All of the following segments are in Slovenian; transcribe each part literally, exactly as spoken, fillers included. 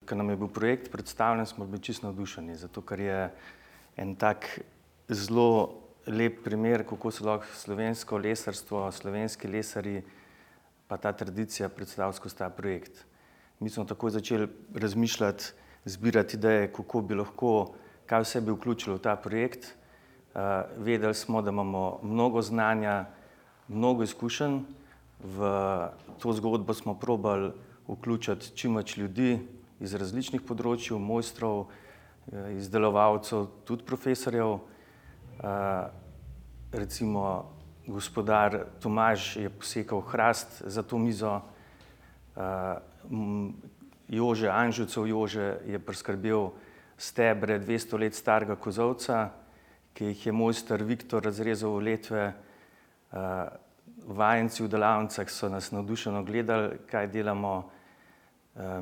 ko nam je bil projekt predstavljen, smo bili čisto navdušeni, zato ker je en tak zelo lep primer, kako se lahko slovensko lesarstvo, slovenski lesarji pa ta tradicija predstavi skozi ta projekt. Mi smo takoj začeli razmišljati, zbirati ideje, kako bi lahko, kaj vse bi vključilo v ta projekt. Uh, vedeli smo, da imamo mnogo znanja, mnogo izkušenj. V to zgodbo smo probali vključiti čim več ljudi iz različnih področij, mojstrov, izdelovalcev, tudi profesorjev. Uh, recimo gospodar Tomaž je posekal hrast za to mizo, uh, Jože Anžucev Jože je priskrbel stebre dvesto let starega kozolca, ki jih je mojster Viktor razrezal v letve. Uh, vajenci v delavnicah so nas navdušeno gledali, kaj delamo. Uh,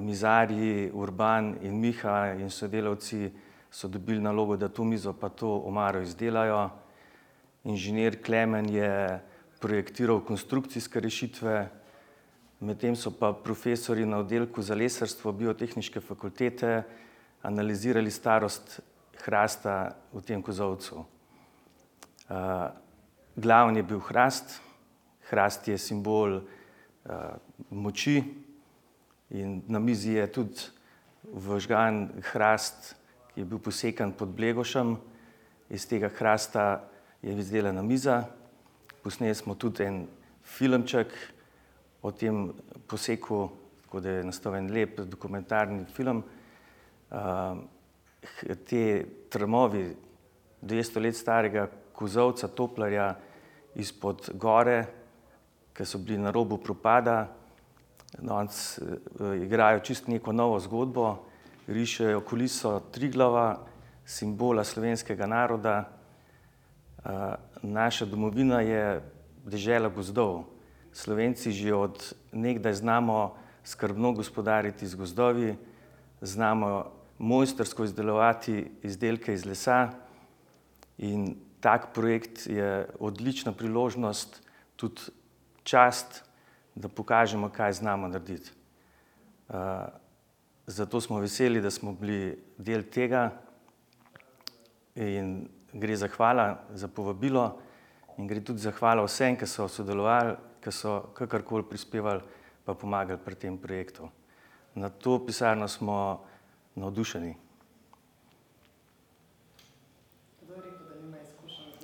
mizarji Urban in Miha in sodelavci so dobili nalogo, da to mizo pa to omaro izdelajo. Inženir Klemen je projektiral konstrukcijske rešitve, medtem so pa profesorji na oddelku za lesarstvo Biotehniške fakultete analizirali starost hrasta v tem kozolcu. Uh, glavni je bil hrast. Hrast je simbol uh, moči in na mizi je tudi vžgan hrast, ki je bil posekan pod Blegošem. Iz tega hrasta je izdelana miza. Posneli smo tudi en filmček o tem poseku, tako da je nastal en lep dokumentarni film. Uh, te trmovi dvesto let starega kozolca Toplarja izpod gore, ki so bili na robu propada, danes uh, igrajo čisto neko novo zgodbo, rišejo kuliso Triglava, simbola slovenskega naroda. Uh, naša domovina je dežela gozdov. Slovenci že od nekdaj znamo skrbno gospodariti z gozdovi, znamo mojstrsko izdelovati izdelke iz lesa in tak projekt je odlična priložnost, tudi čast, da pokažemo, kaj znamo narediti. Uh, zato smo veseli, da smo bili del tega in gre zahvala za povabilo in gre tudi zahvala vsem, ki so sodelovali, ki so kakorkoli prispevali pa pomagali pri tem projektu. Na to pisarno smo navdušeni.